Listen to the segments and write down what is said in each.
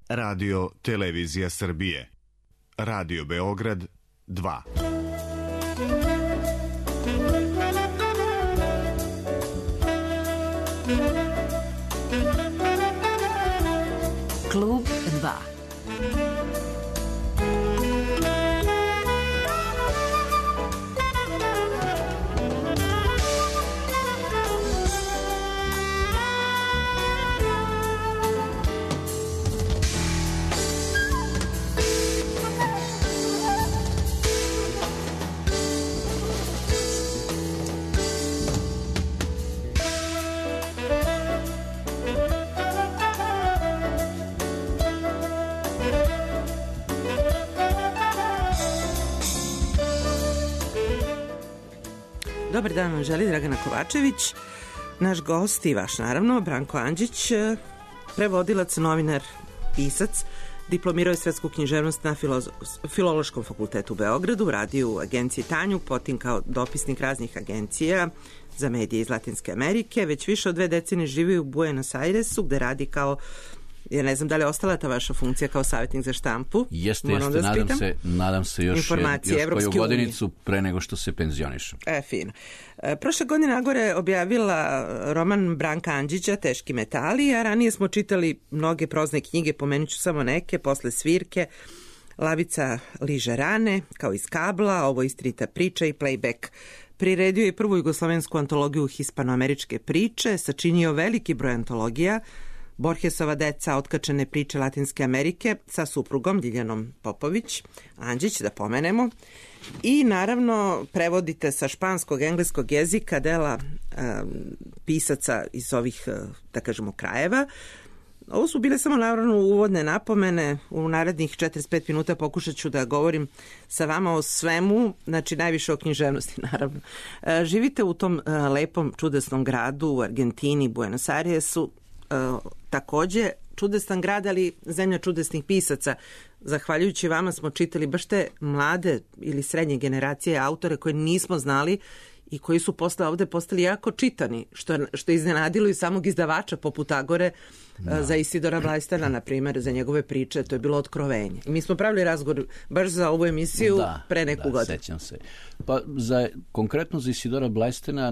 Radio Televizija Srbije. Radio Beograd 2. Klub 2. Dobar dan vam želi Dragana Kovačević, naš gost i vaš naravno, Branko Andžić, prevodilac, novinar, pisac, diplomirao je svetsku književnost na Filološkom fakultetu u Beogradu, radio u agenciji Tanjug, potom kao dopisnik raznih agencija za medije iz Latinske Amerike, već više od 2 decenije živi u Buenos Airesu, gde radi kao, ja ne znam da li je ostala ta vaša funkcija kao savjetnik za štampu. Jeste, nadam se još koju godinicu pre nego što se penzionišem. Fino. Prošle godine Agora objavila roman Branka Andžića, Teški metali, a ranije smo čitali mnoge prozne knjige, pomenut ću samo neke, Posle svirke, Lavica liže rane, kao iz Kabla, Ovo istinita priča i Playback. Priredio je prvu jugoslovensku antologiju hispanoameričke priče, sačinio veliki broj antologija, Borgesova deca, otkačene priče Latinske Amerike sa suprugom Diljanom Popović, Andžić da pomenemo, i naravno prevodite sa španskog, engleskog jezika dela pisaca iz ovih, da kažemo, krajeva. Ovo su bile samo naravno uvodne napomene, u narednih 45 minuta pokušat ću da govorim sa vama o svemu, znači najviše o književnosti naravno. Živite u tom lepom, čudesnom gradu u Argentini, Buenos Airesu, takođe čudesan grad, ali zemlja čudesnih pisaca. Zahvaljujući vama smo čitali baš te mlade ili srednje generacije autore koje nismo znali i koji su posle ovde postali jako čitani, što je iznenadilo i samog izdavača poput Agore. Za Isidora Blajstera, na primjer, za njegove priče, to je bilo otkrovenje. I mi smo pravili razgovor baš za ovu emisiju pre neku godinu. Sećam se. Pa konkretno za Isidora Blajstera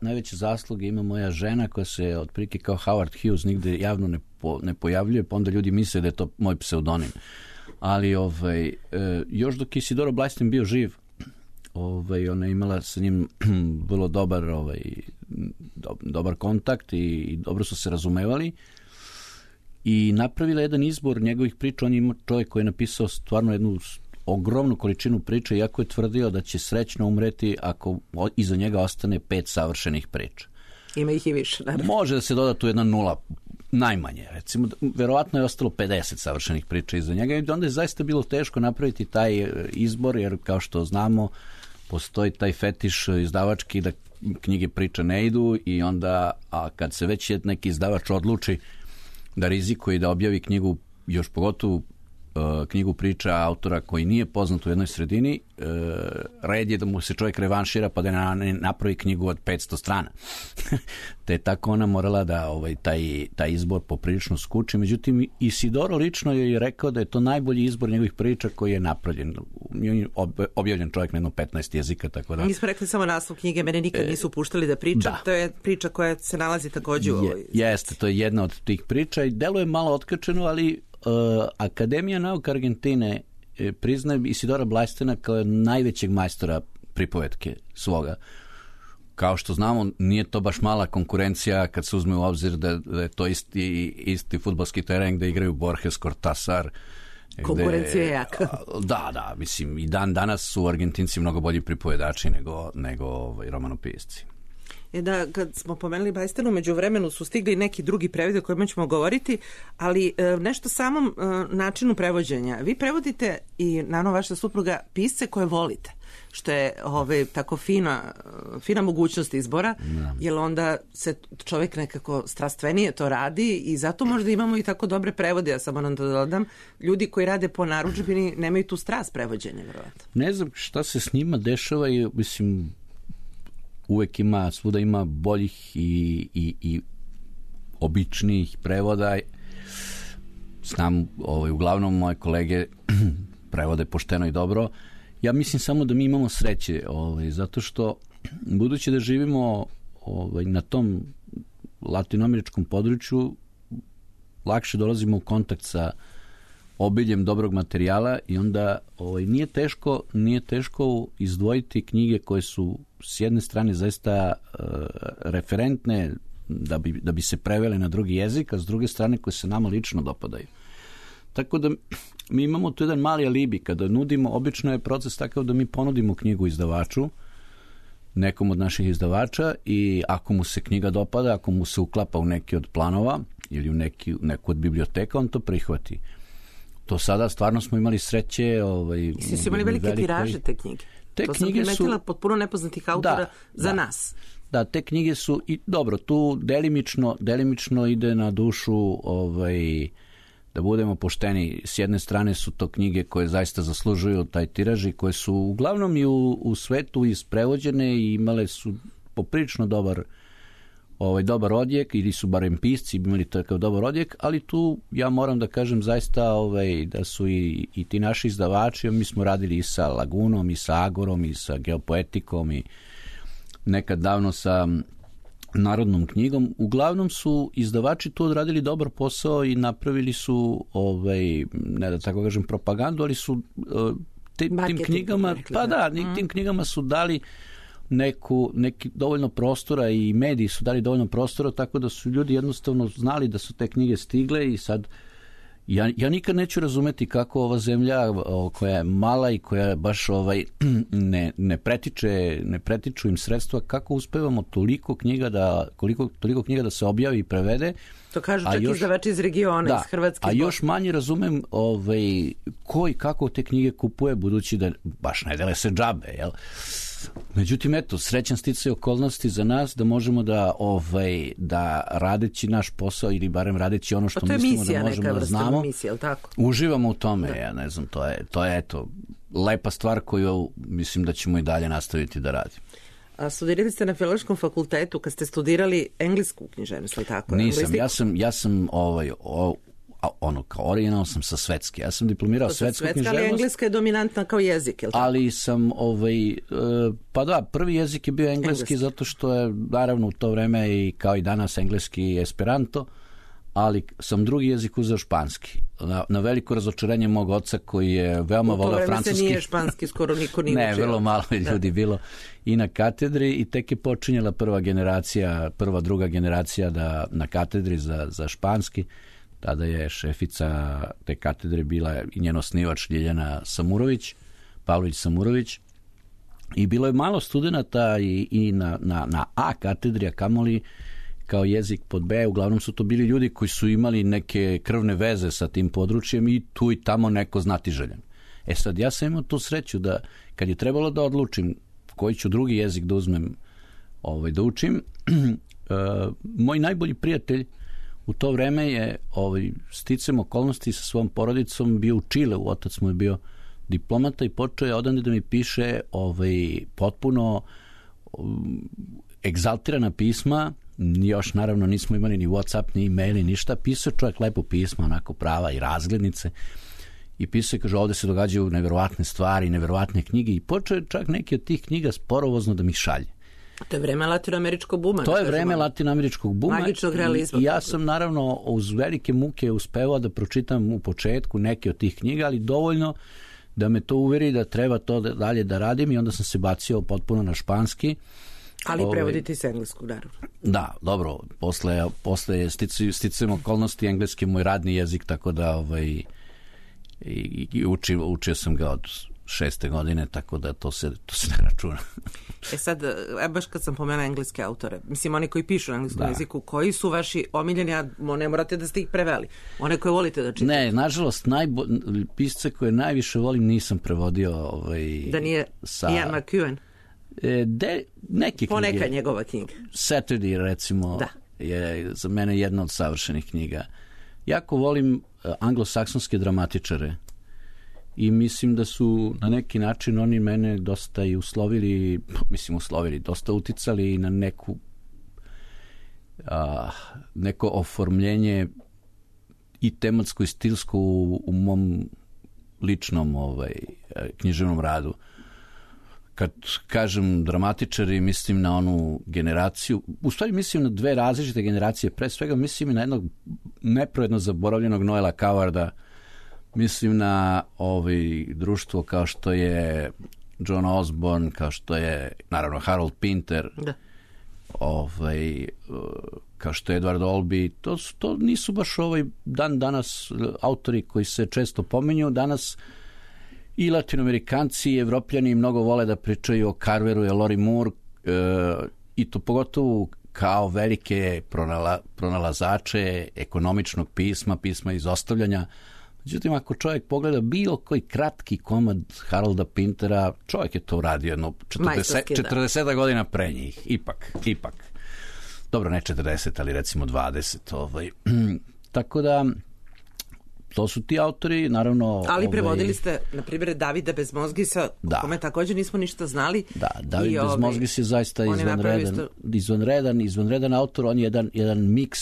najveće zasluge ima moja žena, koja se otprilike kao Howard Hughes nigde javno ne pojavljuje, pa onda ljudi misle da je to moj pseudonim. Ali još dok je Isidora Blajster bio živ, ona je imala sa njim vrlo dobar kontakt i dobro su se razumevali i napravila jedan izbor njegovih priča. On je čovjek koji je napisao stvarno jednu ogromnu količinu priča, iako je tvrdio da će srećno umreti ako iza njega ostane 5 savršenih priča. Ima ih i više, naravno. Može da se doda tu jedna nula, najmanje, recimo, verovatno je ostalo 50 savršenih priča iza njega i onda je zaista bilo teško napraviti taj izbor, jer kao što znamo, postoji taj fetiš izdavački da knjige priča ne idu i onda, a kad se već neki izdavač odluči da rizikuje i da objavi knjigu, još pogotovo knjigu priča autora koji nije poznat u jednoj sredini, red je da mu se čovjek revanšira pa da ne napravi knjigu od 500 strana. Te je tako ona morala da taj izbor poprilično skuči. Međutim, Isidoro lično je rekao da je to najbolji izbor njegovih priča koji je napravljen. Objavljen čovjek na jedno 15 jezika, tako da... Mi smo rekli samo naslov knjige, mene nikad nisu puštali da pričam. To je priča koja se nalazi također u ovoj... Jeste, to je jedna od tih priča i deluje malo otkačeno, ali Akademija nauka Argentine priznaje Isidora Blajstera kao najvećeg majstora pripovetke svoga. Kao što znamo, nije to baš mala konkurencija kad se uzme u obzir da je to isti fudbalski teren gde igraju Borges, Cortázar. Konkurencija je jaka. Da, mislim, i danas su Argentinci mnogo bolji pripovedači nego romanopisci. Da, kad smo pomenuli Blajstera, među vremenu su stigli neki drugi prevodi o kojima ćemo govoriti, ali nešto samom načinu prevođenja. Vi prevodite i naravno vaša supruga pisce koje volite, što je tako fina mogućnost izbora, jer onda se čovjek nekako strastvenije to radi i zato možda imamo i tako dobre prevode. Ja samo nam da dodam, ljudi koji rade po narudžbini nemaju tu strast prevođenja, vjerovatno. Ne znam šta se s njima dešava i mislim, uvek svuda ima boljih i običnijih prevoda. znam, uglavnom moje kolege prevode pošteno i dobro. Ja mislim samo da mi imamo sreće, zato što budući da živimo na tom latinoameričkom području, lakše dolazimo u kontakt sa obiljem dobrog materijala i onda nije teško izdvojiti knjige koje su s jedne strane zaista referentne da bi se prevele na drugi jezik, a s druge strane koje se nama lično dopadaju. Tako da mi imamo tu jedan mali alibi. Kada nudimo, obično je proces takav da mi ponudimo knjigu izdavaču, nekom od naših izdavača, i ako mu se knjiga dopada, ako mu se uklapa u neki od planova ili u neku od biblioteka, on to prihvati. To sada stvarno smo imali sreće. I su imali velike tiraže te knjige. To sam primetila potpuno nepoznatih autora za nas. Da, te knjige su, i dobro, tu delimično ide na dušu, da budemo pošteni. S jedne strane su to knjige koje zaista zaslužuju taj tiraž i koje su uglavnom i u svetu isprevođene i imale su poprilično dobar odjek, ili su barem pisci imali takav dobar odjek, ali tu ja moram da kažem zaista da su i ti naši izdavači, mi smo radili i sa Lagunom, i sa Agorom, i sa Geopoetikom, i nekad davno sa Narodnom knjigom. Uglavnom su izdavači tu odradili dobar posao i napravili su, ne da tako kažem propagandu, ali su tim knjigama, tim knjigama su dali neki dovoljno prostora, i mediji su dali dovoljno prostora, tako da su ljudi jednostavno znali da su te knjige stigle. I sad ja nikad neću razumeti kako ova zemlja koja je mala i koja baš ne pretiču im sredstva, kako uspevamo toliko knjiga da se objavi i prevede. To kažu čak izdavači iz regiona, iz Hrvatske. A još manje razumem ko i kako te knjige kupuje, budući da baš ne dele se džabe, jel? Međutim, eto, srećan sticaj okolnosti za nas da možemo da radeći naš posao, ili barem radeći ono što mislimo da možemo da znamo, uživamo u tome. Ja ne znam, to je eto lepa stvar koju mislim da ćemo i dalje nastaviti da radimo. A studirali ste na Filološkom fakultetu kad ste studirali englesku književnost, ali tako? Nisam, ja sam kao original sam sa svetske. Ja sam diplomirao svetsku književnost. Ali engleska je dominantna kao jezik, je li tako? Ali sam, prvi jezik je bio engleski, zato što je, naravno, u to vreme i kao i danas engleski Esperanto, ali sam drugi jezik uzeo španski. Na veliko razočarenje mog oca, koji je veoma voleo francuski. U to vreme se nije španski, skoro niko nije učio. Ne, vrlo malo ljudi bilo i na katedri, i tek je počinjela druga generacija na katedri za španski. Tada je šefica te katedre bila i njen osnivač Ljiljana Pavlović Samurović, i bilo je malo studenata i na A katedri, a kamoli kao jezik pod B. Uglavnom su to bili ljudi koji su imali neke krvne veze sa tim područjem i tu i tamo neko znatiželjan. Sad, ja sam imao tu sreću da kad je trebalo da odlučim koji ću drugi jezik da uzmem da učim, moj najbolji prijatelj u to vreme je sticam okolnosti sa svojom porodicom bio u Čileu, otac mu je bio diplomata, i počeo je odande da mi piše potpuno egzaltirana pisma. Još naravno nismo imali ni WhatsApp, ni e-mail, ni ništa. Pisao čovjek lepo pisma, onako prava i razglednice, i pisao, kaže, ovde se događaju neverovatne stvari, neverovatne knjige, i počeo je čak neke od tih knjiga sporovozno da mi šalje. To je vreme latinoameričkog buma. To je vreme latinoameričkog buma. Magičnog realizma. I ja sam naravno uz velike muke uspevao da pročitam u početku neke od tih knjiga, ali dovoljno da me to uveri da treba to dalje da radim, i onda sam se bacio potpuno na španski. Ali prevoditi s engleskog, naravno. Da, dobro. Posle sticajem okolnosti, engleski je moj radni jezik, tako da učio sam ga od 6. godine, tako da to se ne računa. Sad, baš kad sam pomenula engleske autore, mislim, oni koji pišu na engleskom jeziku, koji su vaši omiljeni, a ne morate da ste ih preveli, one koje volite da čitate? Ne, nažalost, pisce koje najviše volim nisam prevodio. Da nije Ian McEwan? Neke poneka njegova knjiga. Saturday, recimo, je za mene jedna od savršenih knjiga. Jako volim anglosaksonske dramatičare i mislim da su na neki način oni mene dosta i uslovili, dosta uticali na neko oformljenje i tematsko i stilsko u mom ličnom književnom radu. Kad kažem dramatičari, mislim na onu generaciju, u stvari mislim na dve različite generacije, pre svega mislim na jednog nepravedno zaboravljenog Noela Cowarda, mislim na društvo kao što je John Osborne, kao što je naravno Harold Pinter, da. Kao što je Edward Albee, to nisu baš dan danas autori koji se često pominju. Danas i latinoamerikanci i evropljani mnogo vole da pričaju o Carveru i Lori Moore, i to pogotovo kao velike pronalazače ekonomičnog pisma izostavljanja. Međutim, ako čovjek pogleda bilo koji kratki komad Harolda Pintera, čovjek je to uradio jedno 40 godina pre njih. Ipak. Dobro, ne 40, ali recimo 20. Tako da, to su ti autori, naravno... Ali prevodili ste, na primjer, Davida Bezmozgisa, o kome također nismo ništa znali. Da, David Bezmozgis je zaista izvanredan autor, on je jedan miks.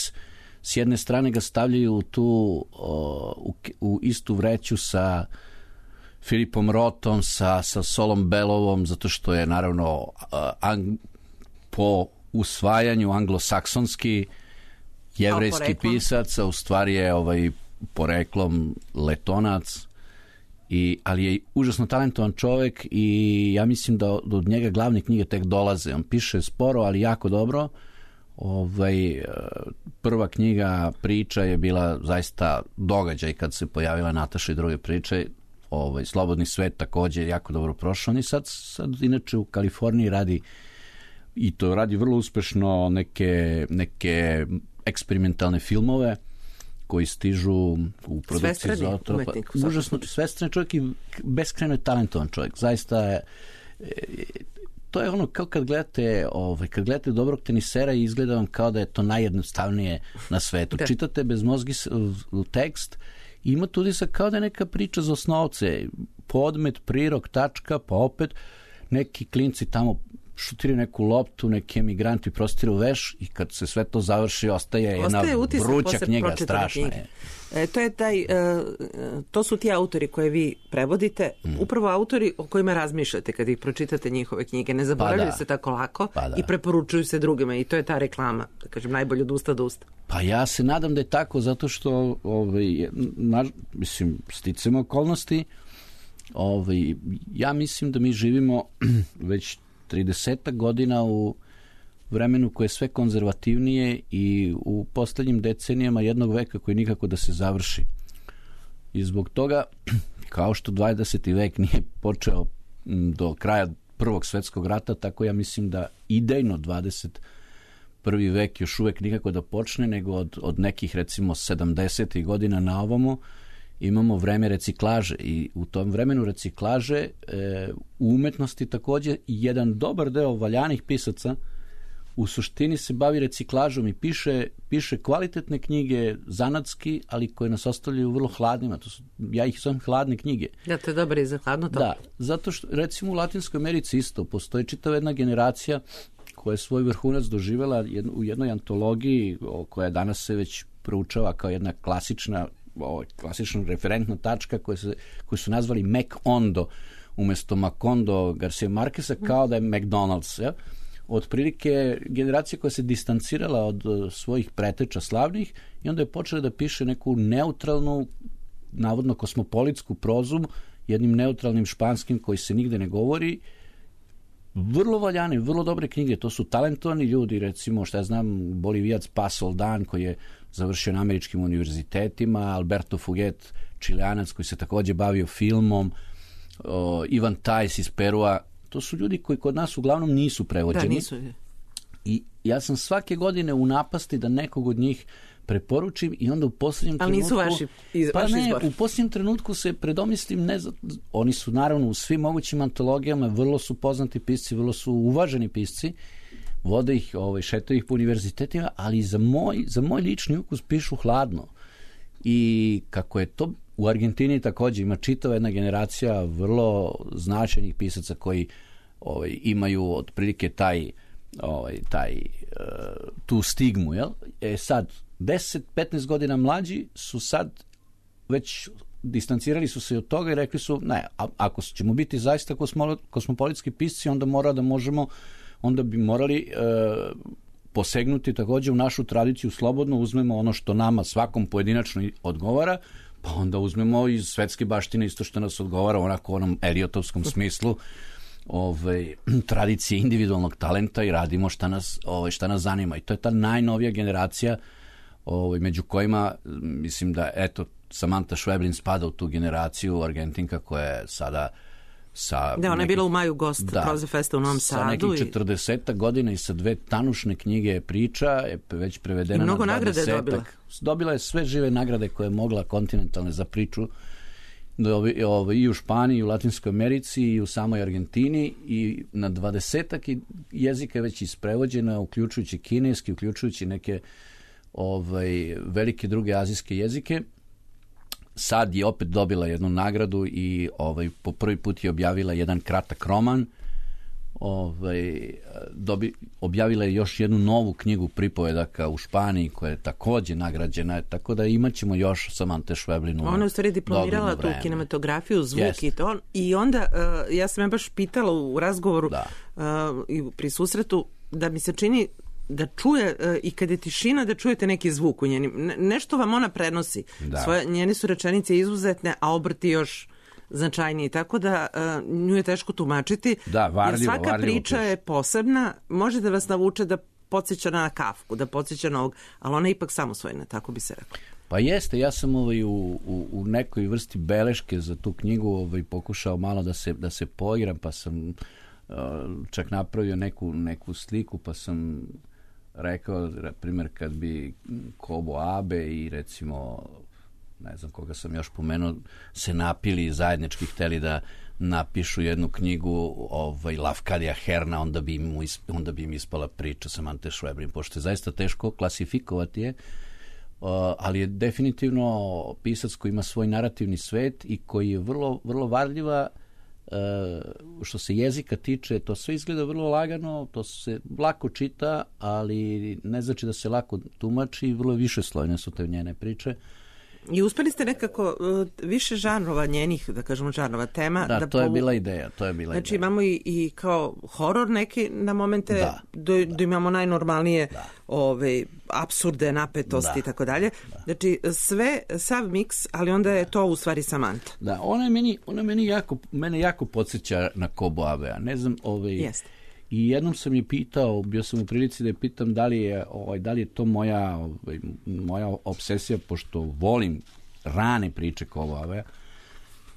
S jedne strane ga stavljaju tu u istu vreću sa Filipom Rothom, sa Solom Bellovom, zato što je naravno po usvajanju anglosaksonski jevrejski pisac, a u stvari je poreklom Letonac, ali je užasno talentovan čovjek i ja mislim da od njega glavne knjige tek dolaze. On piše sporo, ali jako dobro. Prva knjiga Priča je bila zaista događaj kad se pojavila Nataša i druge priče. Slobodni svet također je jako dobro prošao. On je sad inače u Kaliforniji radi, i to radi vrlo uspešno, neke eksperimentalne filmove koji stižu u produkciji Zootropa. Užasno svestrani čovjek i beskrajno je talentovan čovjek. Zaista je, to je ono kao kad gledate dobrog tenisera i izgleda vam kao da je to najjednostavnije na svetu. Da. Čitate Bezmozgis tekst i ima tudi sa kao da je neka priča za osnovce. Podmet, prirok, tačka, pa opet neki klinci tamo šutiraju neku loptu, neki emigranti prostiru veš i kad se sve to završi ostaje jedna vruća knjiga, strašna je. To su ti autori koje vi prevodite, upravo autori o kojima razmišljate kad ih pročitate njihove knjige. Ne zaboravljaju se tako lako i preporučuju se drugima i to je ta reklama, da kažem, najbolje od usta do usta. Pa ja se nadam da je tako, zato što sticamo okolnosti, ja mislim da mi živimo već 30 godina u vremenu koje je sve konzervativnije i u posljednjim decenijama jednog veka koji nikako da se završi. I zbog toga, kao što 20. vek nije počeo do kraja Prvog svjetskog rata, tako ja mislim da idejno 21. vek još uvek nikako da počne, nego od nekih recimo 70. godina na ovamo imamo vreme reciklaže i u tom vremenu reciklaže u umetnosti također jedan dobar deo valjanih pisaca u suštini se bavi reciklažom i piše kvalitetne knjige, zanatski, ali koje nas ostavljaju vrlo hladnima. Ja ih zovem hladne knjige. Da, to je dobro i za hladno to. Da, zato što recimo u Latinskoj Americi isto postoji čitava jedna generacija koja je svoj vrhunac doživjela u jednoj antologiji koja danas se već proučava kao jedna klasična referentna tačka koju su nazvali Mac-Ondo umjesto Macondo Garcia Marqueza, kao da je McDonald's. Ja? Otprilike generacija koja se distancirala od svojih preteča slavnih i onda je počela da piše neku neutralnu, navodno kosmopolitsku prozu jednim neutralnim španskim koji se nigde ne govori. Vrlo valjane, vrlo dobre knjige, to su talentovani ljudi, recimo, šta ja znam, Bolivijac Paz Soldan koji je završio na američkim univerzitetima, Alberto Fuguet, Čileanac koji se također bavio filmom, Ivan Tajs iz Perua. To su ljudi koji kod nas uglavnom nisu prevođeni. Da, nisu. I ja sam svake godine u napasti da nekog od njih preporučim i onda u posljednjem trenutku... Ali nisu vaš izbor. U posljednjem trenutku se predomislim, oni su naravno u svim mogućim antologijama, vrlo su poznati pisci, vrlo su uvaženi pisci, vode ih, šetaju ih po univerzitetima, ali za moj lični ukus pišu hladno. I kako je to u Argentini također ima čitava jedna generacija vrlo značajnih pisaca koji imaju otprilike tu stigmu, jel? Sad, 10-15 godina mlađi su sad već distancirali su se od toga i rekli su, ne, ako ćemo biti zaista kosmopolitski pisci, onda bi morali posegnuti također u našu tradiciju, slobodno uzmemo ono što nama svakom pojedinačno odgovara, pa onda uzmemo iz svetske baštine isto što nas odgovara, onako u onom Eliotovskom smislu, tradicije individualnog talenta i radimo šta nas zanima. I to je ta najnovija generacija među kojima, mislim da, eto, Samantha Schweblin spada u tu generaciju, Argentinka koja je sada ona je bila u maju gost Proze Festa u Novom Sadu. Sa nekih 40 godina i sa 2 tanušne knjige priča, je već prevedena na 20. Mnogo nagrade je dobila. Dobila je sve žive nagrade koje je mogla kontinentalne za priču i u Španiji, i u Latinskoj Americi, i u samoj Argentini, i na 20 jezika je već isprevođena, uključujući kineski, uključujući neke velike druge azijske jezike. Sad je opet dobila jednu nagradu i po prvi put je objavila jedan kratak roman. Objavila je još jednu novu knjigu pripovedaka u Španiji koja je također nagrađena, tako da imat ćemo još Samantha Schweblin. Ona je u stvari diplomirala tu kinematografiju, zvuk i to. I onda, ja sam je baš pitala u razgovoru i pri susretu, da mi se čini da čuje i kad je tišina da čujete neki zvuk u njenim. Nešto vam ona prenosi. Njene su rečenice izuzetne, a obrti još značajniji. Tako da nju je teško tumačiti. Jer svaka priča je posebna. Može da vas navuče da podsjeća na Kafku, da podsjeća na ovog, ali ona je ipak samosvojna, tako bi se rekla. Pa jeste, ja sam u nekoj vrsti beleške za tu knjigu pokušao malo da se poigram, pa sam čak napravio neku sliku, pa sam rekao, na primjer, kad bi Kobo Abe i recimo, ne znam koga sam još pomenuo, se napili zajednički, hteli da napišu jednu knjigu Lafcadia Herna, onda bi im ispala priča Samantha Schweblin, pošto je zaista teško klasifikovati je, ali je definitivno pisac koji ima svoj narativni svet i koji je vrlo, vrlo varljiva. Što se jezika tiče, to sve izgleda vrlo lagano, to se lako čita, ali ne znači da se lako tumači, vrlo višeslojne su te njene priče. I uspeli ste nekako više žanrova njenih, da kažemo žanrova tema. Da, to je bila ideja. Znači imamo i kao horor neki na momente, da imamo najnormalnije apsurde, napetosti i tako dalje. Znači sve, sav miks, ali onda je to u stvari Samantha. Da, ona mene jako podsjeća na Kobo Abea. Ne znam, Jeste. I jednom sam je pitao, bio sam u prilici da je pitam da li je to moja obsesija, pošto volim rane priče Kobo Abea.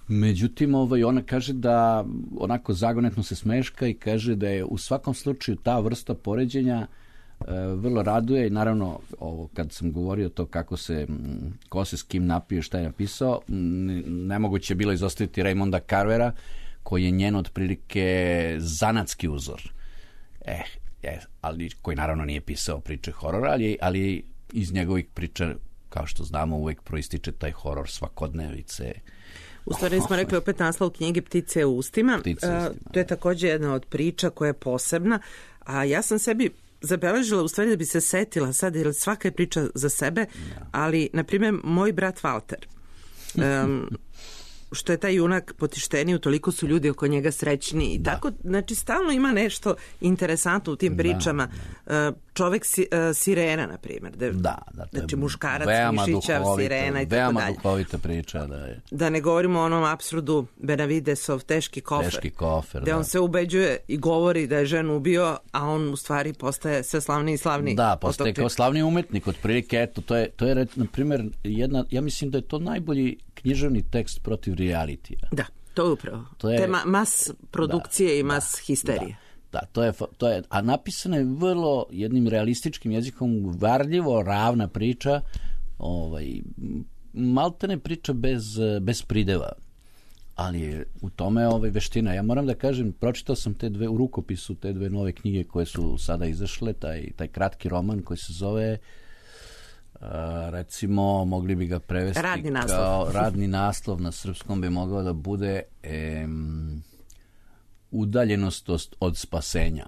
Međutim, ona kaže da onako zagonetno se smeška i kaže da je u svakom slučaju ta vrsta poređenja vrlo raduje i naravno kad sam govorio to ko se s kim napio, šta je napisao, nemoguće je bilo izostaviti Raymonda Carvera, koji je njen otprilike zanatski uzor. Ali koji naravno nije pisao priče horora, ali iz njegovih priča, kao što znamo, uvijek proističe taj horor svakodnevice. U stvari smo rekli opet naslov knjige Ptice u ustima. To je također jedna od priča koja je posebna, a ja sam sebi zabeležila u stvari da bi se setila sad, jer svaka je priča za sebe, ali, na primjer, Moj brat Walter. Što je taj junak potišteniji, toliko su ljudi oko njega srećni i tako, znači stalno ima nešto interesantno u tim pričama. Čovek sirena, na primjer. Znači muškarac, mišićav, sirena i tako dalje. Veoma duhovita priča. Da ne govorimo o onom apsurdu Benavidesov teški kofer. Gde on se ubeđuje i govori da je ženu ubio, a on u stvari postaje sve slavniji i slavniji. Da, postaje kao slavni umetnik. Otprilike, eto, to je na primjer, ja mislim da je to najbolji književni tekst protiv realitija. Da, to je upravo. Te mas produkcije i mas histerije. Da, to je, a napisana je vrlo jednim realističkim jezikom, varljivo, ravna priča, maltene priča bez prideva, ali je u tome veština. Ja moram da kažem, pročitao sam u rukopisu te dve nove knjige koje su sada izašle, taj kratki roman koji se zove recimo, mogli bi ga prevesti kao radni naslov, na srpskom bi mogao da bude Udaljenost od spasenja.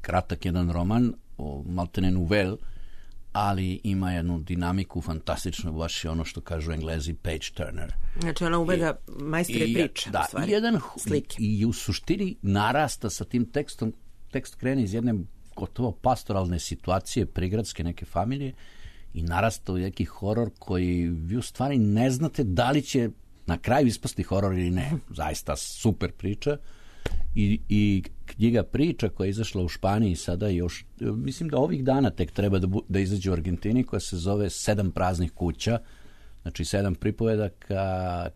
Kratak jedan roman, maltene novel, ali ima jednu dinamiku fantastičnu, baš je ono što kažu Englezi page turner. Znači ona uveda majstore priče, da, u stvari, slike. I u suštini narasta sa tim tekstom, tekst krene iz jedne gotovo pastoralne situacije, prigradske neke familije, i narasta u neki horor koji vi u stvari ne znate da li će na kraju ispasti horor ili ne. Zaista super priča. I knjiga priča koja je izašla u Španiji sada još, mislim da ovih dana tek treba da izađe u Argentini, koja se zove 7 praznih kuća, znači 7 pripovedaka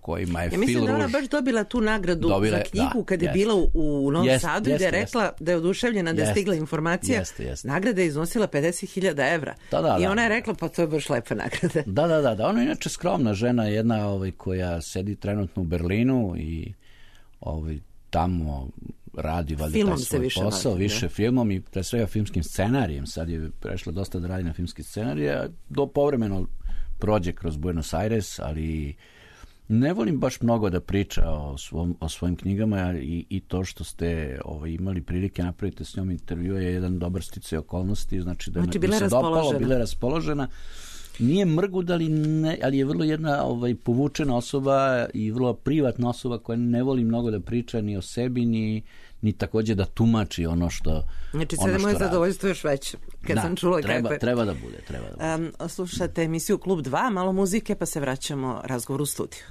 kojima je Phil Rush... Ja mislim da ona baš dobila tu nagradu za knjigu kad je bila u Novom Sadu i da je rekla da je oduševljena da je stigla informacija. Nagrada je iznosila 50.000 evra. I ona je rekla pa to je baš lepa nagrada. Da. Ona je inače skromna žena, jedna koja sedi trenutno u Berlinu i tamo radi valjda taj svoj posao, više filmom i pre svega filmskim scenarijem. Sad je prešla dosta da radi na filmski scenarije, povremeno prođe kroz Buenos Aires, ali ne volim baš mnogo da priča o svojim knjigama i to što ste imali prilike napraviti s njom intervju je jedan dobar sticaj okolnosti, znači da bila se dopalo, bila je raspoložena. Nije mrgud, ali je vrlo jedna povučena osoba i vrlo privatna osoba koja ne voli mnogo da priča ni o sebi, ni također da tumači ono što Znači, sada moje zadovoljstvo još veće. Kad sam čula treba da bude. Slušate emisiju Klub 2, malo muzike, pa se vraćamo razgovor u studiju.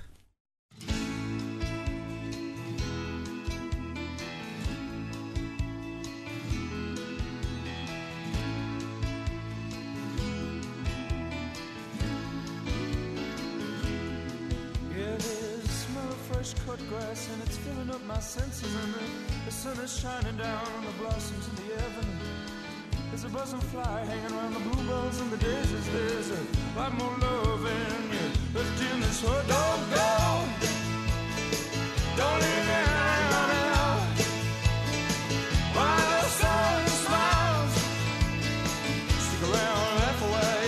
Cut grass and it's filling up my senses, and the sun is shining down on the blossoms in the avenue. There's a buzzing fly hanging around the bluebells and the daisies. There's a lot more love in you left in this world. Don't go, don't leave me out while the sun smiles. Stick around, laugh away,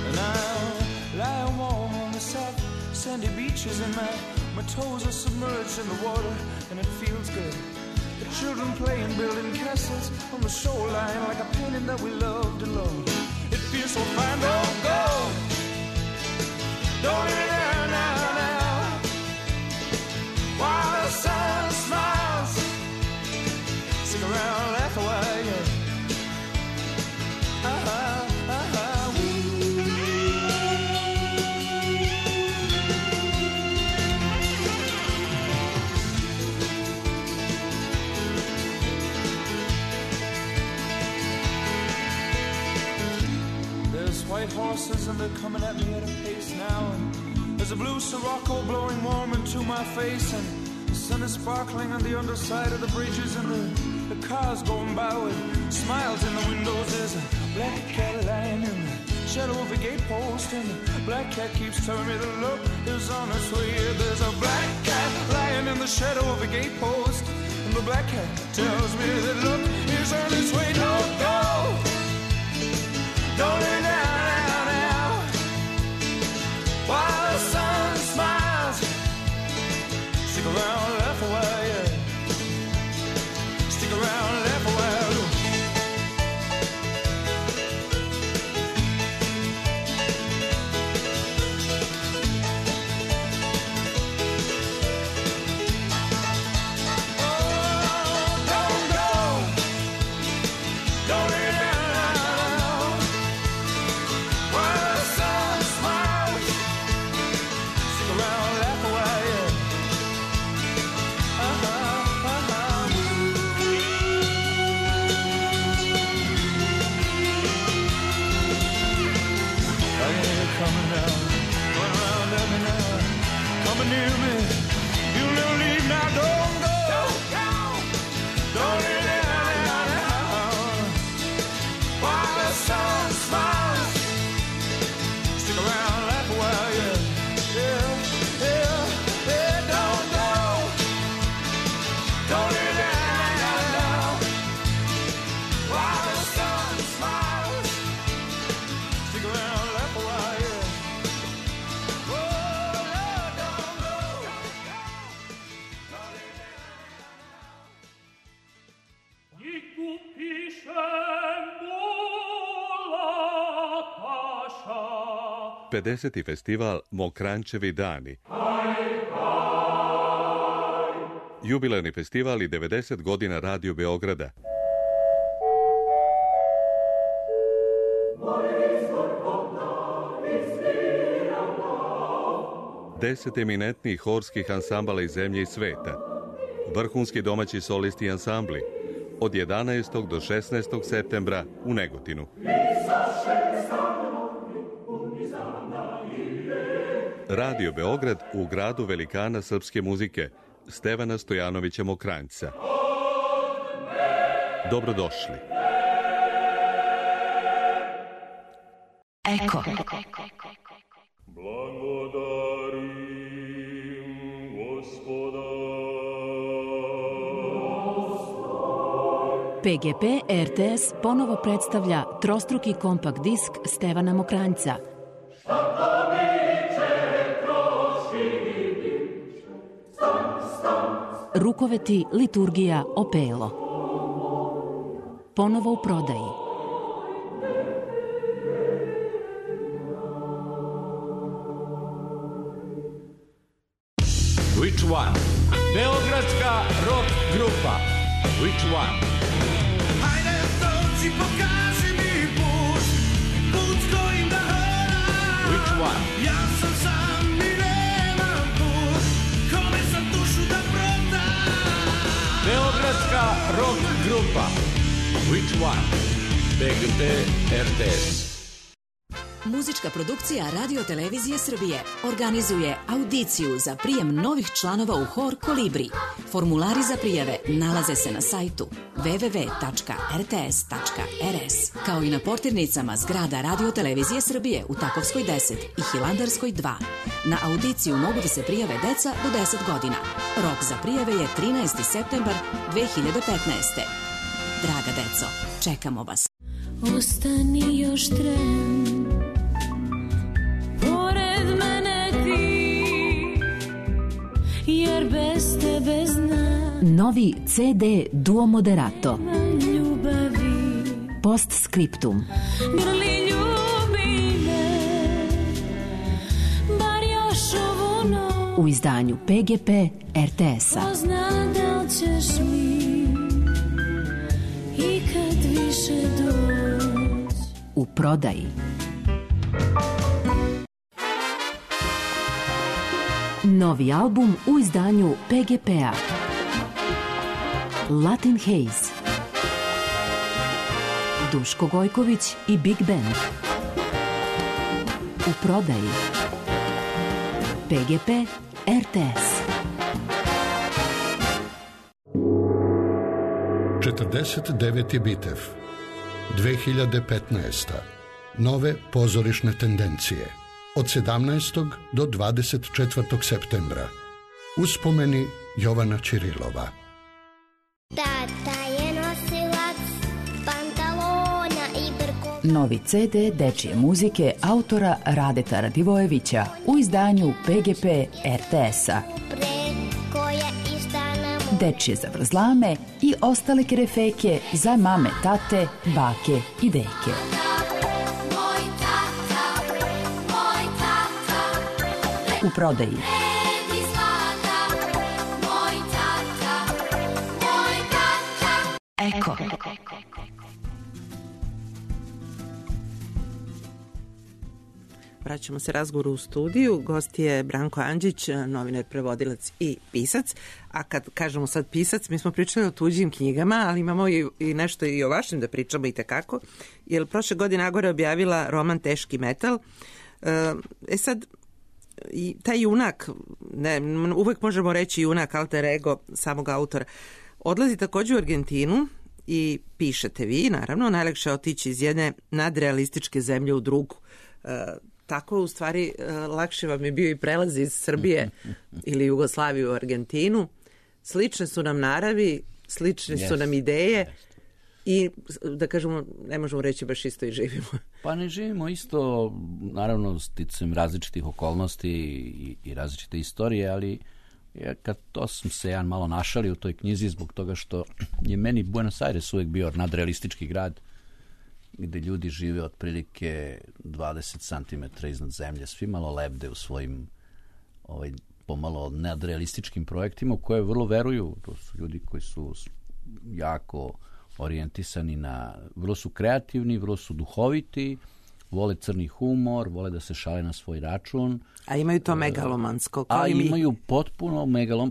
and I'll lie warm on the soft sandy beaches, and my toes are submerged in the water, and it feels good. The children playing, building castles on the shoreline, like a painting that we loved and loved. It feels so fine. Don't go, don't leave it there now, while the sun smiles. Stick around, laugh away, yeah. White horses and they're coming at me at a pace now, and there's a blue Sirocco blowing warm into my face, and the sun is sparkling on the underside of the bridges, and the cars going by with smiles in the windows. There's a black cat lying in the shadow of a gatepost, and the black cat keeps telling me the look is on its way. There's a black cat lying in the shadow of a gatepost, and the black cat tells me that look is on its way. Don't go, don't lay down while the sun smiles. Stick around, laugh away, yeah. Stick around, laugh away. 50. festival Mokranjčevi dani. Jubilarni festival i 90 godina Radio Beograda. 10 eminentnih horskih ansambala iz zemlje i sveta. Vrhunski domaći solisti i ansambli. Od 11. do 16. septembra u Negotinu. Radio Beograd u gradu velikana srpske muzike, Stevana Stojanovića Mokranjca. Dobrodošli. Eko. PGP RTS ponovo predstavlja trostruki kompakt disk Stevana Mokranjca. Rukoveti, liturgija, opelo. Ponovo u prodaji. Which one? Beogradska rock grupa. Which one? Hajde dođi, pokaži mi put, put kojim da hodam. Which one? Ja sam sam i nemam put, kome sam dušu da prodam. Beogradska rock grupa. Which one? PGP RTS. Muzička produkcija Radio Televizije Srbije organizuje audiciju za prijem novih članova u hor Kolibri. Formulari za prijave nalaze se na sajtu www.rts.rs, kao i na portirnicama zgrada Radio Televizije Srbije u Takovskoj 10 i Hilandarskoj 2. Na audiciju mogu da se prijave deca do 10 godina. Rok za prijave je 13. septembar 2015. Draga deco, čekamo vas. Ostani još tren, pored mene ti, jer bez tebe znam. Novi CD Duo Moderato. Ljubavi. Postscriptum. Grli ljubi me, bar još ovu noć. U izdanju PGP RTS-a. Ko zna da li ćeš mi ikad više doći. U prodaji. Novi album u izdanju PGP-a. Latin Haze. Duško Gojković i Big Band. U prodaji. PGP RTS. 49. bitev 2015. Nove pozorišne tendencije od 17. do 24. septembra. Uspomeni Jovana Ćirilova. Tata je nosilac pantalona i brko. Novi CD dečije muzike autora Radeta Radivojevića u izdanju PGP RTS-a. Dečije zavrzlame i ostale kerefeke za mame, tate, bake i deke. U prodaji. Eko. Vraćamo se razgovoru u studiju. Gost je Branko Andžić, novinar, prevodilac i pisac. A kad kažemo sad pisac, mi smo pričali o tuđim knjigama, ali imamo i nešto i o vašim da pričamo i tekako. Jer prošle godine Agora je objavila roman Teški metal. Sad, i taj junak, uvek možemo reći junak, alter ego samog autora, odlazi također u Argentinu i pišete vi, naravno, najlakše je otići iz jedne nadrealističke zemlje u drugu. Tako u stvari lakše vam je bio i prelaz iz Srbije ili Jugoslavije u Argentinu. Slične su nam naravi, slične su nam ideje i da kažemo, ne možemo reći baš isto i živimo. Pa ne živimo isto, naravno sticajem različitih okolnosti i različite istorije, ali kad to sam se jedan malo našalio u toj knjizi zbog toga što je meni Buenos Aires uvijek bio nadrealistički grad gde ljudi žive otprilike 20 cm iznad zemlje, svi malo lebde u svojim pomalo nadrealističkim projektima u koje vrlo veruju. To su ljudi koji su jako orijentisani vrlo su kreativni, vrlo su duhoviti, vole crni humor, vole da se šale na svoj račun. A imaju to megalomansko, kao a i mi. Imaju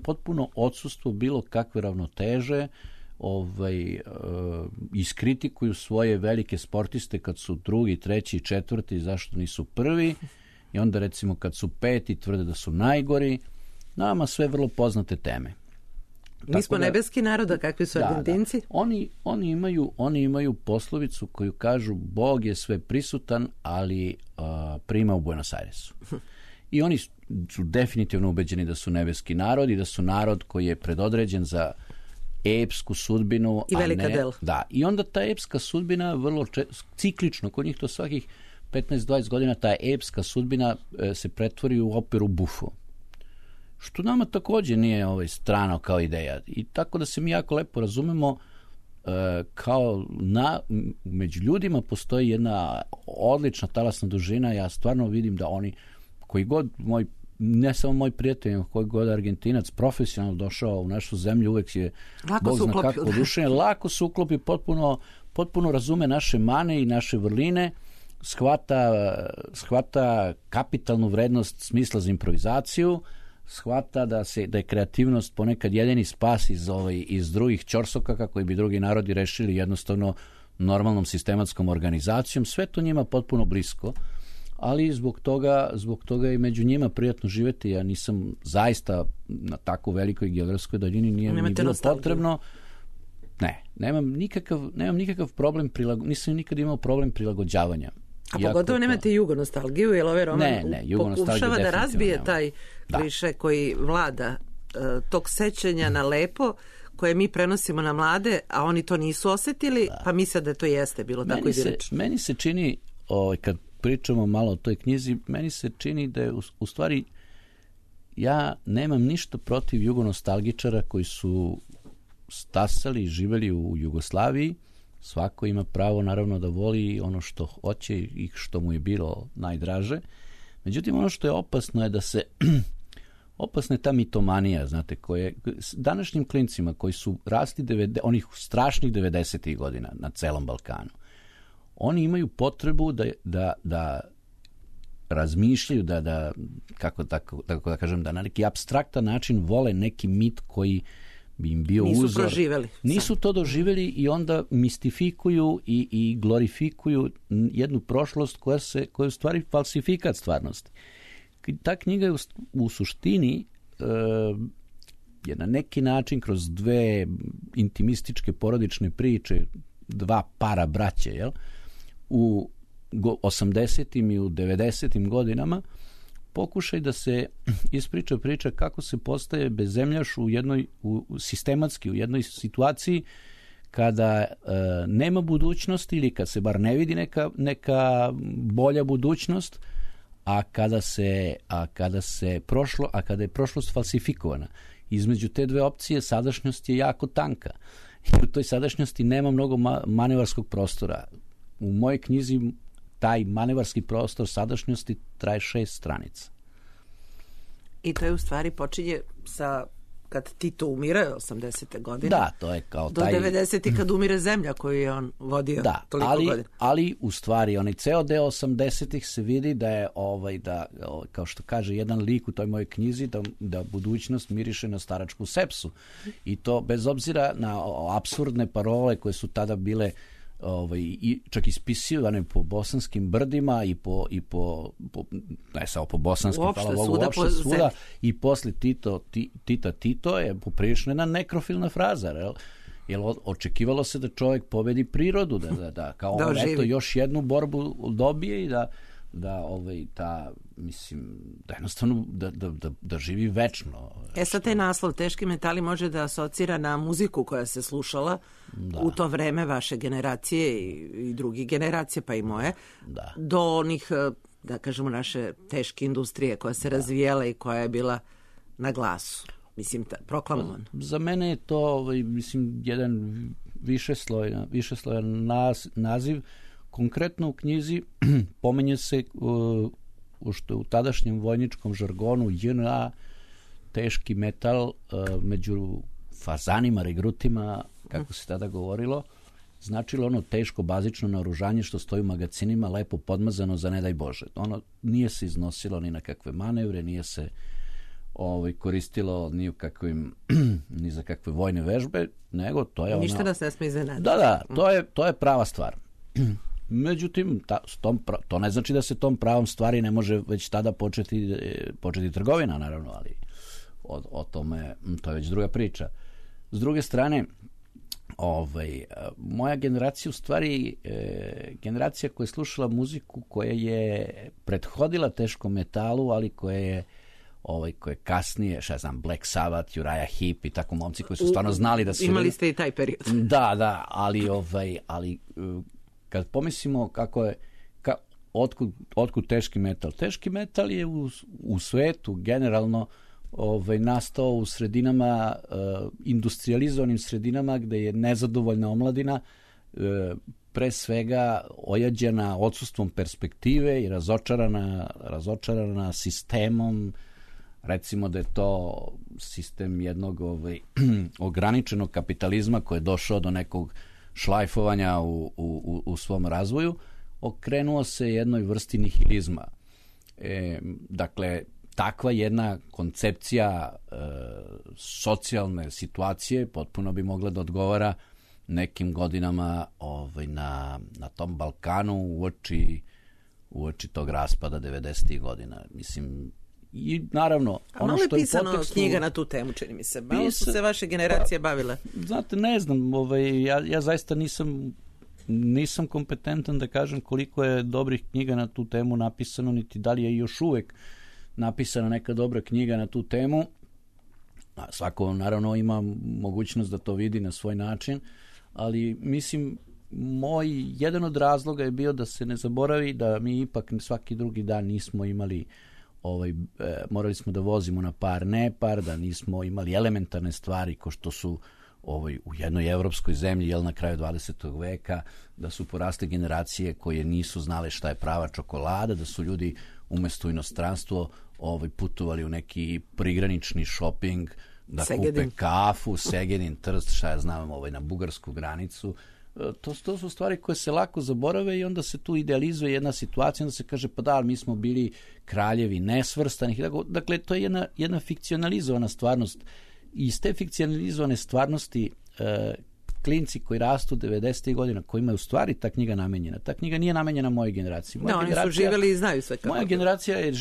potpuno odsustvo bilo kakve ravnoteže, iskritikuju svoje velike sportiste kad su drugi, treći, četvrti, zašto nisu prvi, i onda recimo kad su peti tvrde da su najgori. Nama sve vrlo poznate teme. Mi smo nebeski narod, a kakvi su Argentinci? Da. Oni imaju poslovicu koju kažu Bog je sve prisutan, ali prima u Buenos Airesu. I oni su definitivno ubeđeni da su nebeski narod i da su narod koji je predodređen za epsku sudbinu. I velika dela. Da, i onda ta epska sudbina vrlo ciklično, kod njih to svakih 15-20 godina ta epska sudbina se pretvori u operu bufo. Što nama također nije strano kao ideja. I tako da se mi jako lepo razumemo, kao među ljudima postoji jedna odlična talasna dužina. Ja stvarno vidim da oni, koji god ne samo moj prijatelj, nego koji god Argentinac profesionalno došao u našu zemlju, uvek je Bog zna kako oduševljen, lako se uklopi, potpuno razume naše mane i naše vrline, shvata kapitalnu vrednost smisla za improvizaciju, shvata da je kreativnost ponekad jedini spas iz drugih ćorsokaka koji bi drugi narodi rešili jednostavno normalnom sistematskom organizacijom. Sve to njima potpuno blisko, ali zbog toga je među njima prijatno živjeti. Ja nisam zaista na tako velikoj geografskoj daljini, nije mi bilo potrebno. Nemam nikakav problem, nisam nikad imao problem prilagođavanja. A pogotovo nemate jugonostalgiju, jer ovaj roman pokušava da razbije taj kliše koji vlada tog sećanja na lepo, koje mi prenosimo na mlade, a oni to nisu osjetili, pa misle da to jeste bilo tako idilično. Meni se čini, kad pričamo malo o toj knjizi, meni se čini da je u stvari ja nemam ništa protiv jugonostalgičara koji su stasali i živeli u Jugoslaviji. Svako ima pravo naravno da voli ono što hoće i što mu je bilo najdraže. Međutim, ono što je opasno je da se opasna je ta mitomanija, znate, koje današnjim klincima koji su rasli onih strašnih 90-ih godina na celom Balkanu, oni imaju potrebu da razmišljaju, kako da kažem, da na neki apstraktan način vole neki mit koji bi im bio uzor. Nisu to doživjeli i onda mistifikuju i glorifikuju jednu prošlost koja je u stvari falsifikat stvarnosti. Ta knjiga je u suštini je na neki način kroz dve intimističke porodične priče, dva para braće, u 80. i u 90. godinama, pokušaj da se ispriča priča kako se postaje bezzemljaš sistematski u jednoj situaciji kada nema budućnosti ili kad se bar ne vidi neka bolja budućnost, a kada je prošlost falsifikovana. Između te dve opcije sadašnjost je jako tanka. I u toj sadašnjosti nema mnogo manevarskog prostora. U mojoj knjizi taj manevarski prostor sadašnjosti traje 6 stranica. I to je u stvari počinje sa kad Tito umire 80. godine. Da, to je kao do 90. kad umire zemlja koju je on vodio toliko godina. Ali u stvari onaj ceo deo 80. se vidi da je kao što kaže jedan lik u toj mojoj knjizi, da budućnost miriše na staračku sepsu. I to bez obzira na apsurdne parole koje su tada bile čak ispisivane po bosanskim brdima i po ne samo po bosanskim, hvala Bogu, uopšte svuda, i posle Tito je poprilično jedna nekrofilna fraza, jer očekivalo se da čovjek pobedi prirodu, da kao on eto još jednu borbu dobije i da jednostavno da živi večno. Sad taj naslov Teški metali može da asocira na muziku koja se slušala u to vreme vaše generacije i drugih generacije, pa i moje, do onih, da kažemo, naše teške industrije koja se razvijala i koja je bila na glasu. Mislim, proklamovan. Za mene je to, jedan višeslojan naziv konkretno u knjizi pominje se što u tadašnjem vojničkom žargonu JNA teški metal među fazanima, regrutima, kako se tada govorilo, značilo ono teško bazično naoružanje što stoji u magacinima, lepo podmazano za ne daj Bože. Ono nije se iznosilo ni na kakve manevre, nije se koristilo ni za kakve vojne vežbe, nego to je ništa nas ne sme iznenaditi. Da, to je prava stvar. Međutim, to ne znači da se tom pravom stvari ne može već tada početi trgovina, naravno, ali o tome, to je već druga priča. S druge strane, moja generacija u stvari generacija koja je slušala muziku koja je prethodila teškom metalu, ali koja je koje kasnije, Black Sabbath, Uriah Heep i tako momci koji su stvarno znali da su... Imali ste i taj period. Da, ali kad pomislimo kako je, otkud teški metal? Teški metal je u svetu generalno nastao u sredinama, industrializovanim sredinama gde je nezadovoljna omladina pre svega ojađena odsustvom perspektive i razočarana sistemom. Recimo da je to sistem jednog ograničenog kapitalizma koji je došao do nekog šlajfovanja u svom razvoju, okrenuo se jednoj vrsti nihilizma. Dakle, takva jedna koncepcija socijalne situacije potpuno bi mogla da odgovara nekim godinama na tom Balkanu uoči tog raspada 90. godina. Mislim, i naravno... Malo je pisano knjiga na tu temu, čini mi se. Malo su se vaše generacije bavile. Znate, ne znam, ja zaista nisam kompetentan da kažem koliko je dobrih knjiga na tu temu napisano, niti da li je još uvek napisana neka dobra knjiga na tu temu. Svako naravno ima mogućnost da to vidi na svoj način, ali mislim jedan od razloga je bio da se ne zaboravi da mi ipak svaki drugi dan nismo imali morali smo da vozimo na par nepar, da nismo imali elementarne stvari ko što su u jednoj evropskoj zemlji, na kraju 20. veka, da su porasle generacije koje nisu znale šta je prava čokolada, da su ljudi umesto u inostranstvo putovali u neki prigranični šoping, da kupe kafu, Segedin, Trst, šta ja znam, na bugarsku granicu. To su stvari koje se lako zaborave i onda se tu idealizuje jedna situacija, onda se kaže pa da, mi smo bili kraljevi nesvrstanih. Dakle, to je jedna fikcionalizovana stvarnost. I iz te fikcionalizovane stvarnosti klinci koji rastu 90. godina, kojima je u stvari ta knjiga namenjena. Ta knjiga nije namenjena mojoj generaciji. Oni su živjeli i znaju sve kako. Moja generacija je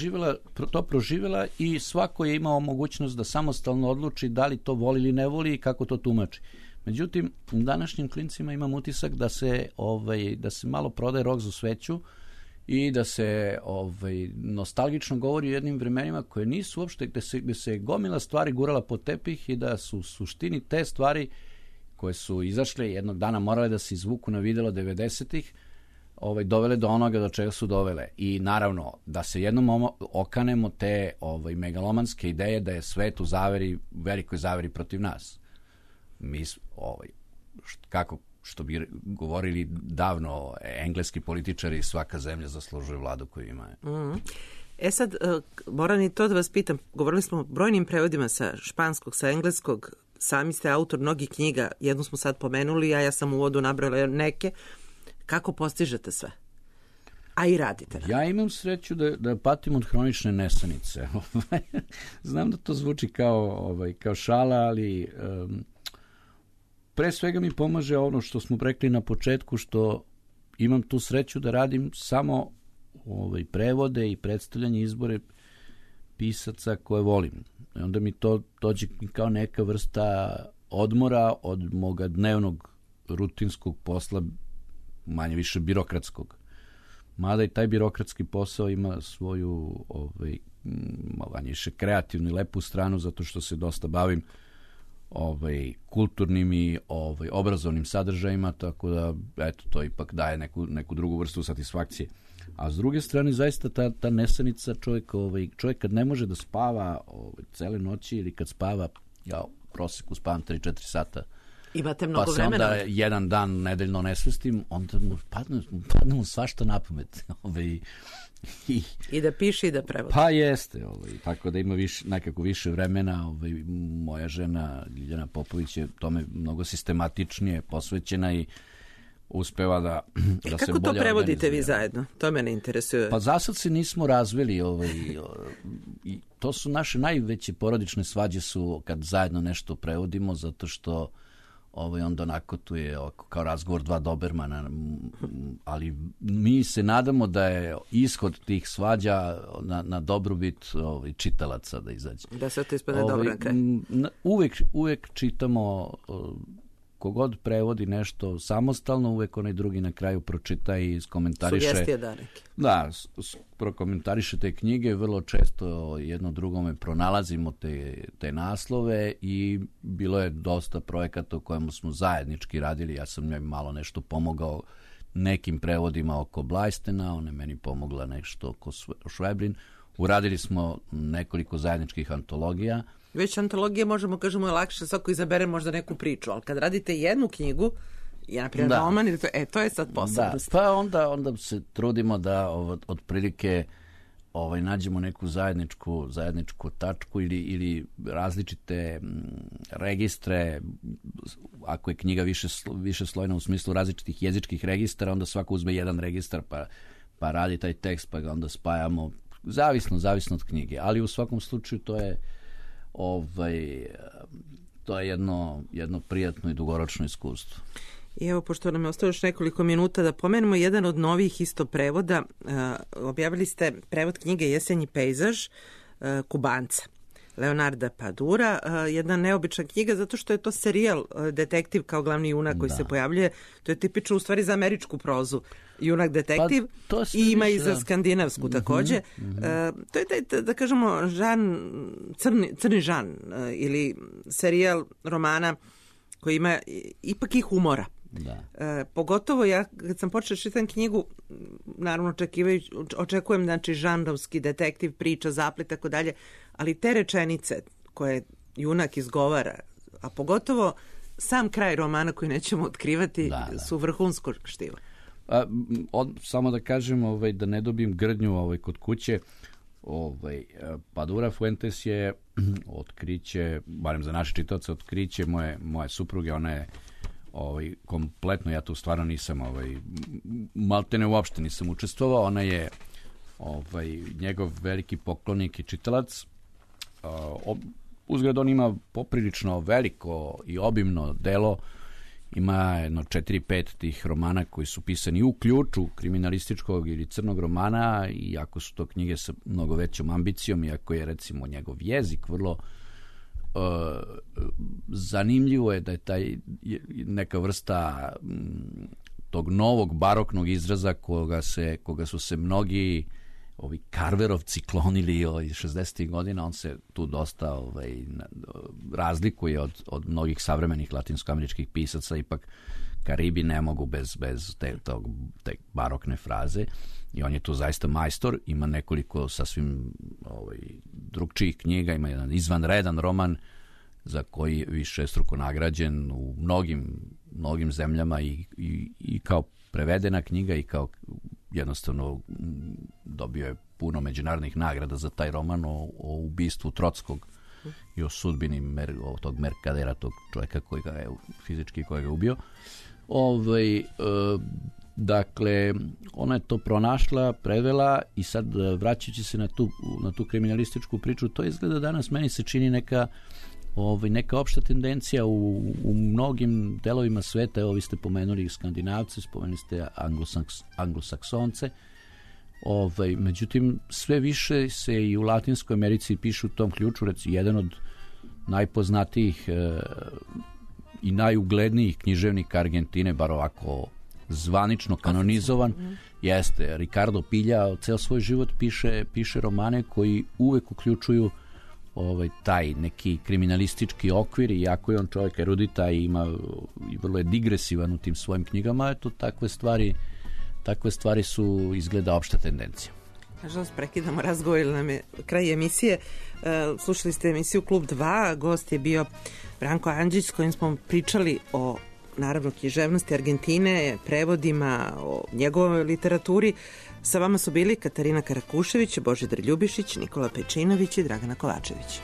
to proživjela i svako je imao mogućnost da samostalno odluči da li to voli ili ne voli i kako to tumači. Međutim, u današnjim klincima imam utisak da se malo prodaje rok za sveću i da se nostalgično govori o jednim vremenima koje nisu uopšte, gde se gomila stvari gurala pod tepih i da su u suštini te stvari koje su izašle jednog dana morale da se izvuku na videlo 90-ih, dovele do onoga do čega su dovele. I naravno, da se jednom okanemo te megalomanske ideje da je svet u velikoj zaveri protiv nas. Mi, što bi govorili davno engleski političari, svaka zemlja zaslužuje vladu koju ima. Sad, moram i to da vas pitam, govorili smo o brojnim prevodima sa španskog, sa engleskog, sami ste autor mnogih knjiga, jednu smo sad pomenuli, a ja sam u uvodu nabrala neke. Kako postižete sve? A i radite. Ja imam sreću da patim od hronične nesanice. Znam da to zvuči kao šala, ali pre svega mi pomaže ono što smo rekli na početku, što imam tu sreću da radim samo prevode i predstavljanje, izbore pisaca koje volim. I onda mi to dođe kao neka vrsta odmora od moga dnevnog rutinskog posla, manje više birokratskog. Mada i taj birokratski posao ima svoju manje više kreativnu i lepu stranu, zato što se dosta bavim kulturnim i obrazovnim sadržajima, tako da to ipak daje neku drugu vrstu satisfakcije. A s druge strane, zaista ta nesanica čovjek kad ne može da spava cele noći ili kad spava, ja u proseku spavam 3-4 sata Imate mnogo pa se vremena. onda jedan dan nedeljno ne svestim, onda mu padne mu svašta na pamet. I da piše i da prevodi. Pa jeste, tako da ima nekako više vremena. Moja žena Ljiljana Popović je tome mnogo sistematičnije posvećena i uspeva da se bolje organizuje. Kako to prevodite vi zajedno? To mene interesuje. Pa za sad se nismo razveli. I to su naše najveće porodične svađe su kad zajedno nešto prevodimo, zato što onda onako tu je kao razgovor dva dobermana, ali mi se nadamo da je ishod tih svađa na dobrobit čitalaca da izađe. Da se to ispadne dobro na kraj. Uvek čitamo, kogod prevodi nešto samostalno, uvek onaj drugi na kraju pročita i iskomentariše. Sugestije da neke. Da, prokomentariše te knjige, vrlo često jedno drugome pronalazimo te naslove i bilo je dosta projekata u kojemu smo zajednički radili. Ja sam njoj malo nešto pomogao nekim prevodima oko Blajstena, ona je meni pomogla nešto oko Šveblin. Uradili smo nekoliko zajedničkih antologija. Već antologije možemo, kažemo, je lakše, svako izabere možda neku priču, ali kad radite jednu knjigu, naprimjer roman, to je sad posebnost. Pa onda se trudimo da otprilike nađemo neku zajedničku tačku ili različite registre. Ako je knjiga više slojna u smislu različitih jezičkih registara, onda svako uzme jedan registar pa radi taj tekst, pa ga onda spajamo. Zavisno od knjige, ali u svakom slučaju to je jedno prijatno i dugoročno iskustvo. I evo, pošto nam je ostalo još nekoliko minuta, da pomenemo jedan od novih isto prevoda. Objavili ste prevod knjige Jesenji pejzaž Kubanca, Leonarda Padura. Jedna neobična knjiga zato što je to serijal detektiv kao glavni junak koji se pojavljuje. To je tipično u stvari za američku prozu. Junak detektiv i ima i za skandinavsku takođe. To je taj, da kažemo, crni žan ili serijal romana koji ima ipak i humora. Pogotovo ja kad sam počela čitam knjigu, naravno očekujem znači žanrovski detektiv, priča, zaplet, tako dalje, ali te rečenice koje junak izgovara, a pogotovo sam kraj romana koji nećemo otkrivati, su vrhunsko štivo. Samo da kažem, da ne dobijem grdnju kod kuće, Padura Fuentes je otkriće, barem za naše čitaoce, otkriće moje supruge. Ona je kompletno, ja tu stvarno nisam maltene uopšte nisam učestvovao. Ona je njegov veliki poklonik i čitalac. Uzgled on ima poprilično veliko i obimno delo. Ima jedno 4-5 tih romana koji su pisani u ključu kriminalističkog ili crnog romana, iako su to knjige sa mnogo većom ambicijom, iako je recimo njegov jezik vrlo zanimljivo je da je taj neka vrsta tog novog baroknog izraza koga su se mnogi ovi Carverovci klonili iz 60. godina. On se tu dosta razlikuje od mnogih savremenih latinskoameričkih pisaca. Ipak Karibi ne mogu bez te barokne fraze i on je tu zaista majstor. Ima nekoliko sasvim drugčijih knjiga. Ima jedan izvanredan roman za koji je višestruko nagrađen u mnogim zemljama i kao prevedena knjiga i kao jednostavno dobio je puno međunarodnih nagrada za taj roman o ubistvu Trockog i o sudbini tog Merkadera, tog čovjeka koji ga je fizički koji ga je ubio. Dakle, ona je to pronašla, prevela i sad vraćajući se na tu kriminalističku priču, to izgleda danas meni se čini neka opšta tendencija u mnogim delovima sveta. Evo, vi ste pomenuli Skandinavce, spomenuli ste Anglosaksonce. Međutim, sve više se i u Latinskoj Americi pišu u tom ključu. Recimo, jedan od najpoznatijih i najuglednijih književnika Argentine, bar ovako zvanično kanonizovan, jeste Ricardo Pilja. Ceo svoj život piše romane koji uvek uključuju taj neki kriminalistički okvir, iako je on čovjek erudita i vrlo je digresivan u tim svojim knjigama. Eto, takve stvari su izgleda opšta tendencija. Nažalost, prekidamo razgovor, ili nam je kraj emisije. Slušali ste emisiju Klub 2, gost je bio Branko Andžić, s kojim smo pričali o, naravno, književnosti Argentine, prevodima, o njegovoj literaturi. Sa vama su bili Katarina Karakušević, Božidar Ljubišić, Nikola Pečinović i Dragana Kovačević.